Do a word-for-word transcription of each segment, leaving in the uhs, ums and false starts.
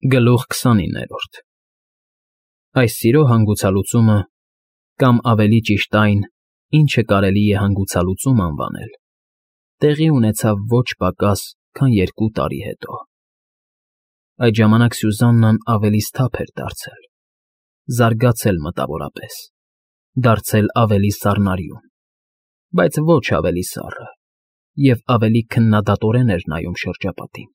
Գլուխ քսանիններորդ Այս սիրո հանգուցալուծումը, կամ ավելի ճիշտ այն, ինչը կարելի է հանգուցալուծում անվանել, տեղի ունեցավ ոչ պակաս, քան երկու տարի հետո. Այդ ժամանակ Սյուզաննան ավելի սթափ էր դարձել, զարգացել մտավորապես, դարձել ավելի սառնարյուն, բայց ոչ ավելի սառը, և ավելի քննադատորեն էր նայում շրջապատին.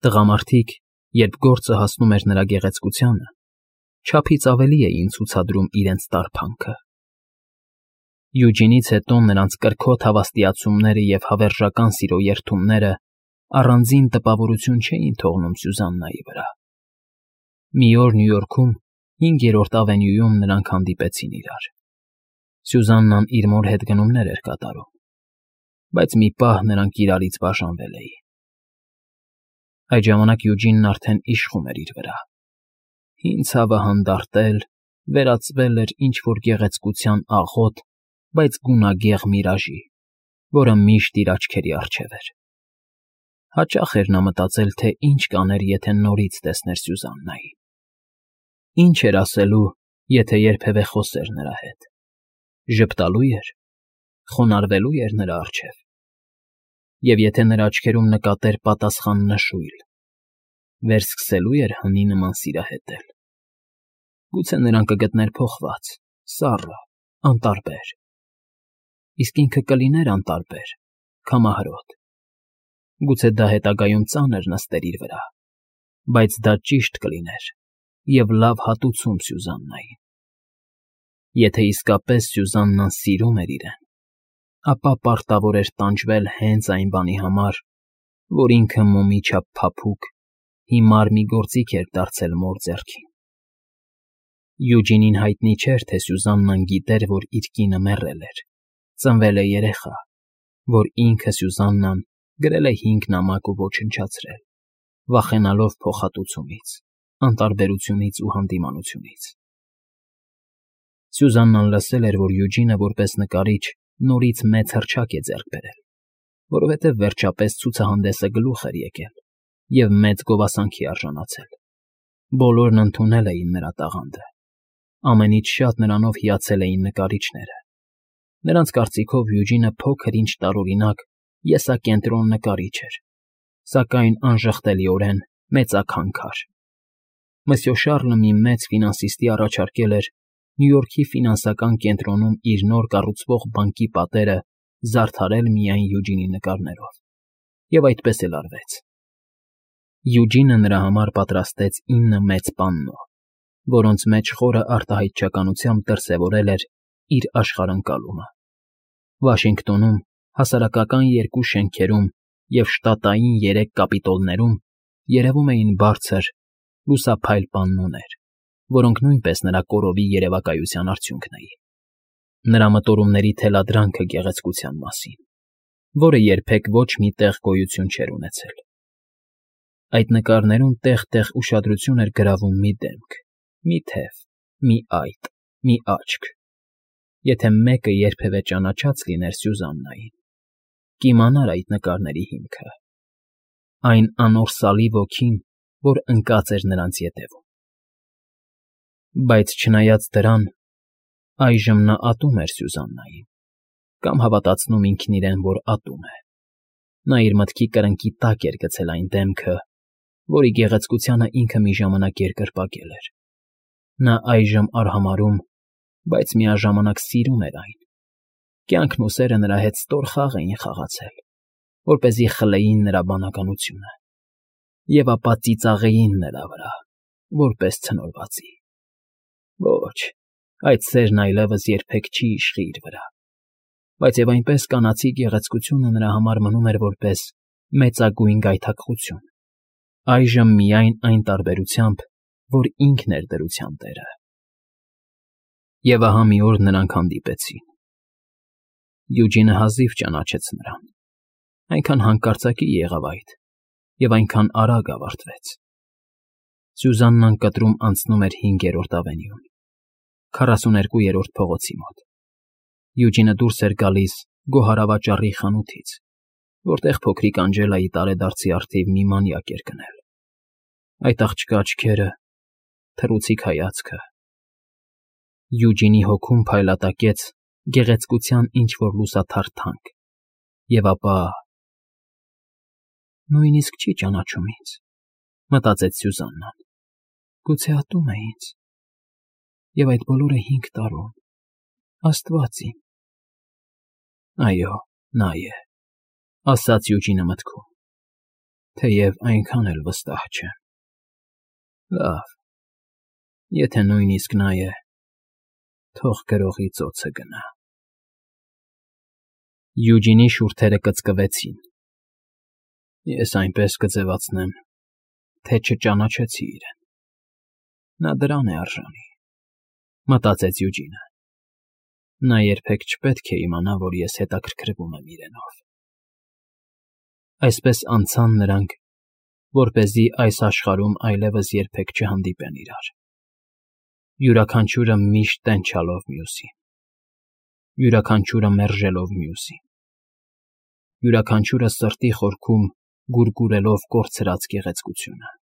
Տղամարդիկ, երբ գործը հասնում էր նրա գեղեցկությանը, չափից ավելի էին ցուցադրում իրենց տարփանքը. Յուջինից հետո նրանց կրքոտ հավաստիացումները և հավերժական սիրո երդումները առանձին տպավորություն չէին թողնում Սյուզաննայի վրա։ Մի օր Նյու Յորքում, Հինգերորդ ավենյուում նրանք հանդիպեցին իրար. Սյուզաննան իր մոր հետ գնումներ էր կատարում, բայց մի պահ նրանք իրարից բաժանվել էին։ Այդ ժամանակ Յուջինն արդեն իշխում էր իր վրա. հին ցավը հանդարտել, վերածվել էր ինչ֊որ գեղեցկության աղոտ, բայց գունագեղ միրաժի, որը միշտ իր աչքերի առջև էր։ Հաճախ էր նա մտածել, թե ինչ կաներ, եթե նորից տեսներ Սյուզաննային։ Ինչ էր ասելու, եթե երբևէ խոսեր նրա հետ. ժպտալո՞ւ էր, խոնարհվելո՞ւ էր նրա առջև։ Եվ եթե նրա աչքերում նկատեր պատասխան նշույլ, վերսկսելո՞ւ էր հնի նման սիրահետել։ Գուցե նրան կգտներ փոխված, սառը, անտարբեր։ Իսկ ինքը կլիներ անտարբեր, քամահրոտ։ Գուցե դա հետագայում ծանր նստեր իր վրա, բայց դա ճիշտ կլիներ և լավ հատուցում Սյուզաննային։ Եթե իսկապես Սյուզաննան սիրում էր իրեն, ապա պարտավոր էր տանջվել հենց այն բանի համար, որ ինքը մոմի չափ փափուկ, հիմար մի գործիք էր դարձել մոր ձեռքին։ Յուջինին հայտնի չէր, թե Սյուզաննան գիտեր, որ իր կինը մեռել էր, ծնվել է երեխա, որ ինքը՝ Սյուզաննան, գրել է հինգ նամակ ու ոչնչացրել, վախենալով փոխհատուցումից, անտարբերությունից ու հանդիմանությունից։ Սյուզաննան լսել էր, որ Յուջինը որպես նկարիչ նորից մեծ հռչակ է ձեռք բերել, որովհետև վերջապես ցուցահանդեսը գլուխ էր եկել և մեծ գովասանքի արժանացել։ Բոլորն ընդունել էին նրա տաղանդը, ամենից շատ նրանով հիացել էին նկարիչները։ Նրանց կարծիքով Յուջինը փոքր-ինչ տարօրինակ եսակենտրոն նկարիչ էր, սակայն անժխտելիորեն մեծաքանքար։ Մսյո Շառլը մի մեծ ֆինանսիստի առաջարկել էր Նյու Յորքի ֆինանսական կենտրոնում իր նոր կառուցվող բանկի պատերը զարդարել միայն Յուջինի նկարներով, և այդպես էլ արվեց։ Յուջինը նրա համար պատրաստեց ինը մեծ պաննո, որոնց մեջ խորը արտահայտչականությամբ դրսևորել էր իր աշխարհընկալումը։ Վաշինգտոնում, հասարակական երկու շենքերում և շտատային երեք կապիտոլներում երևում էին բարձր, լուսափայլ պաննոներ, որոնք նույնպես նրա կորովի երևակայության արդյունքն էին։ Նրա մտորումների թելադրանքը գեղեցկության մասին, որը երբեք ոչ մի տեղ գոյություն չէր ունեցել։ Այդ նկարներում տեղ֊տեղ ուշադրություն էր գրավում մի դեմք, մի թև, մի այտ, մի աչք։ Եթե մեկը երբևէ ճանաչած լիներ Սյուզաննային, կիմանար այդ նկարների հիմքը, այն անորսալի ոգին, որ ընկած էր նրանց ետևում։ Բայց չնայած դրան, այժմ նա ատում էր Սյուզաննային, կամ հավատացնում ինքն իրեն, որ ատում է։ Նա իր մտքի կրնկի տակ էր գցել այն դեմքը, որի գեղեցկությանը ինքը մի ժամանակ երկրպագել էր։ Նա այժմ արհամարհում, բայց միաժամանակ սիրում էր այն։ Կյանքն ու սերը նրա հետ ստոր խաղ էին խաղացել, որպեսզի խլեին նրա բանականությունը, և ապա ծիծաղեին նրա վրա, որպես ցնորվածի։ Ոչ, այդ սերն այլևս երբեք չի իշխի իր վրա, բայց և այնպես կանացի գեղեցկությունը նրա համար մնում էր որպես մեծագույն գայթակղություն, այժմ միայն այն տարբերությամբ, որ ինքն էր դրության տերը։ Եվ ահա մի օր նրանք հանդիպեցին։ Յուջինը հազիվ ճանաչեց նրան, այնքան հանկարծակի եղավ այդ, և այնքան արագ ավարտվեց։ Սյուզաննան կտրում անցնում էր Հինգերորդ ավենյուն, քառասուներկուերորդ փողոցի մոտ։ Յուջինը դուրս էր գալիս գոհարավաճառի խանութից, որտեղ փոքրիկ Անջելայի տարեդարձի առթիվ մի մանյակ էր գնել։ այդ աղջկա աչքերը, թռուցիկ հայացքը… Յուջինի հոգում փայլատակեց գեղեցկության ինչ֊որ լուսաթար թանկ, և ապա… «Նույնիսկ չի ճանաչում ինձ,֊ մտածեց Սյուզաննան,֊ գուցե ատում է ինձ… Եվ այդ բոլորը հինգ տարում… Աստված իմ…»։ «Այո, նա է,֊ ասաց Յուջինը մտքում, թեև այնքան էլ վստահ չեմ… Լավ, եթե նույնիսկ նա է, թող գրողի ծոցը գնա…»։ Յուջինի շուրթերը կծկվեցին։ «Ես այնպես կձևացնեմ, թե չճանաչեցի իրեն… Նա դրան է արժանի,֊ մտածեց Յուջինը։ Նա երբեք չպետք է իմանա, որ ես հետաքրքրվում եմ իրենով… Այսպես անցան նրանք, որպեսզի այս աշխարհում այլևս երբեք չհանդիպեն իրար, յուրաքանչյուրը միշտ տենչալով մյուսին, յուրաքանչյուրը մերժելով մյուսին, յուրաքանչյուրը սրտի խորքում գուրգուրելով կորցրած գեղեցկությունը։